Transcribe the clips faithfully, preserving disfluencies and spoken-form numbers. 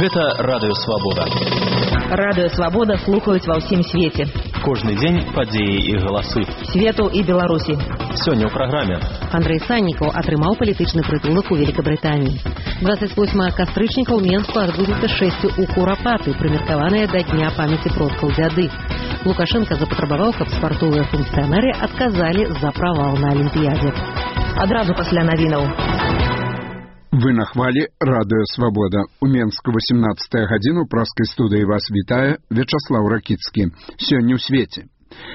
Гэта Радыё Свабода. Радыё Свабода слухаюць ва ўсім свеце. Кожны дзень падзеі і галасы. Свету і Беларусі. Сёння ў праграме. Андрэй Саннікаў атрымаў палітычны прытулак у Великабрытаніі. двадцать восьмага кастрычніка ў Менску адбудзецца шэсцю ў Курапаты, прымеркаваныя да дня памяці продкаў дзяды. Лукашенко запатрабаваў, каб спартовыя функцыянеры адказалі за правал на Алімпіядзе. Адразу пасля навінаў. Вы на хвалі Радыё Свабода. У Менску восемнадцатая гадзіна, у праскай студыі вас вітае Вячаслаў Ракіцкі. Сёння ў свеце.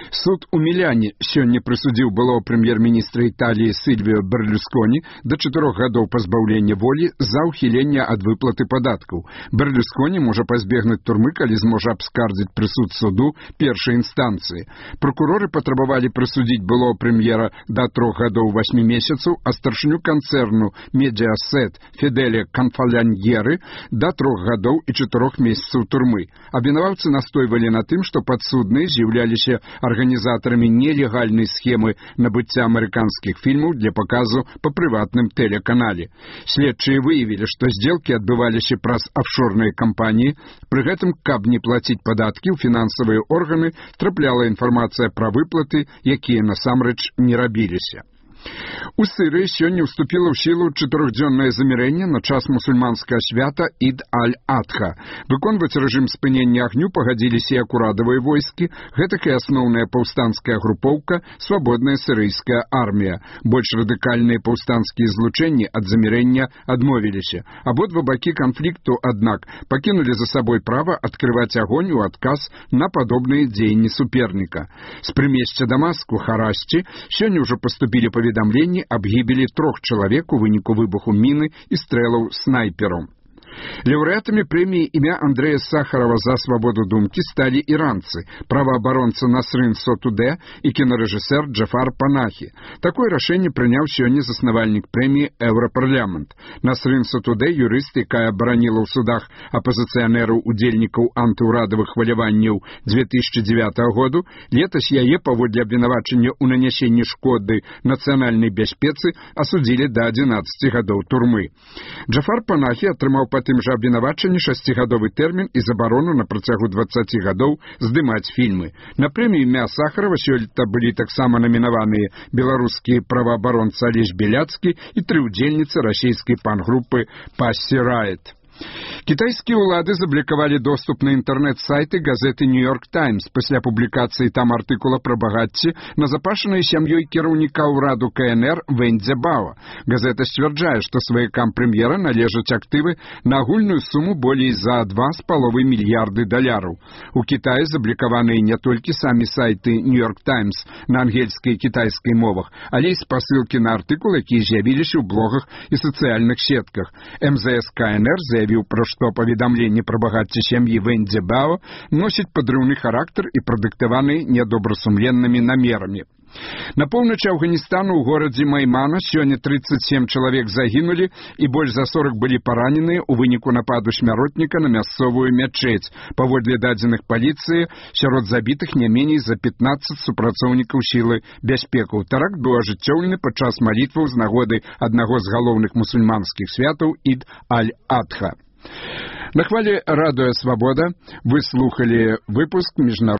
Суд у Міляне сёння прысудзіў былого прэм'ер-міністра Італіі Сільвіо Берлюсконі да чатырох гадоў пазбаўлення волі за ўхіленне ад выплаты падаткаў. Берлюсконі можа пазбегнуць турмы, калі зможа абскардзіць прысуд суду першай інстанцыі. Прокуроры патрабавалі прысудзіць былого прэм'ера да трох гадоў васьмі месяцаў, а старшыню канцэрну Медиасет Феделе Канфаляньеры да трох гадоў і чатырох месяцаў турмы. Абвінаваўцы настойвалі на тым, што падсудныя з'яўляліся арганізатарамі нелегальнай схемы набыцця амерыканскіх фільмаў для паказу па прыватным тэлеканале. Следчыя выявілі, што здзелкі адбываліся праз афшорныя кампаніі, пры гэтым, каб не плаціць падаткі, у фінансавыя органы трапляла інфармацыя пра выплаты, якія насамрэч не рабіліся. У Сырыі сёння ўступіла ў сілу чатырохдзённае замірэнне на час мусульманскага свята Ід-аль-Адха. Выконваць рэжым спынення агню пагадзіліся як урадавыя войскі, гэтак і асноўная паўстанцкая групоўка Свабодная сірыйская армія. Больш радыкальныя паўстанцкія злучэнні ад замірэння адмовіліся. Абодва бакі канфлікту, аднак, пакінулі за сабой права адкрываць агонь у адказ на падобныя дзеянні суперніка. З прымесця Дамаску, Харасці, сёння ўжо паступілі паведамленні аб гібелі трох чалавек у выніку выбуху міны і стрэлаў снайпераў. Лаўрэатамі прэміі імя Андрэя Сахарова за свабоду думкі сталі іранцы, праваабаронца Насрын Сотудэ і кінарэжысэр Джафар Панахі. Такое рашэнне прыняў сёння заснавальнік прэміі Еўрапарламент. Насрын Сотудэ, юрыст, якая абараніла ў судах апазіцыянераў удзельнікаў антыўрадавых хваляванняў две тысячы дзевятага году, летась яе паводле абвінавачання ў нанясенні шкоды нацыянальнай бяспецы асудзілі да адзінаццаці гадоў турмы. Джафар Панахі атрымаў па тым жа абвінавачанні шасцігадовы тэрмін і забарону на працягу дваццаці гадоў здымаць фільмы. На прэмію імя Сахарова сёлета былі таксама намінаваныя беларускі праваабаронца Алесь Беляцкі і тры ўдзельніцы расійскай пан-групы Пассі Райт. Кітайскія ўлады заблокавалі доступ на інтэрнэт-сайты газеты «Нью-Йорк Таймс» пасля публікацыі там артыкула пра багацце, назапашанай сям'ёй кіраўніка ўраду ка эн эр Вэнь Цзябао. Газета сцвярджае, што сваякам прэм'ера належаць актывы на агульную суму болей за два з паловай мільярды даляраў. У Кітаі заблокаваныя не толькі самі сайты «Нью-Йорк Таймс» на ангельскай і кітайскай мовах, але і спасылкі на артыкулы, якія з'явіліся ў блогах і сацыяльных сетках. эм зэ эс ка эн эр заявіў, пра што паведамленне пра багацце сям'і Вэнь Цзябао носіць падрыўны характар і прадыктаваны нядобрасумленнымі намерамі. На поўначы Афганістану ў горадзе Маймана сёння трыццаць сем чалавек загінулі і больш за сорак былі параненыя ў выніку нападу смяротніка на мясцовую мячэць. Паводле дадзеных паліцыі, сярод забітых не меней за пятнаццаць супрацоўнікаў сілы бяспекаў. Тэракт быў ажыццёўлены падчас малітваў з нагоды аднаго з галоўных мусульманскіх святаў Ід-аль-Адха. На хвале Радыё Свабода вы слухали выпуск міжнароднага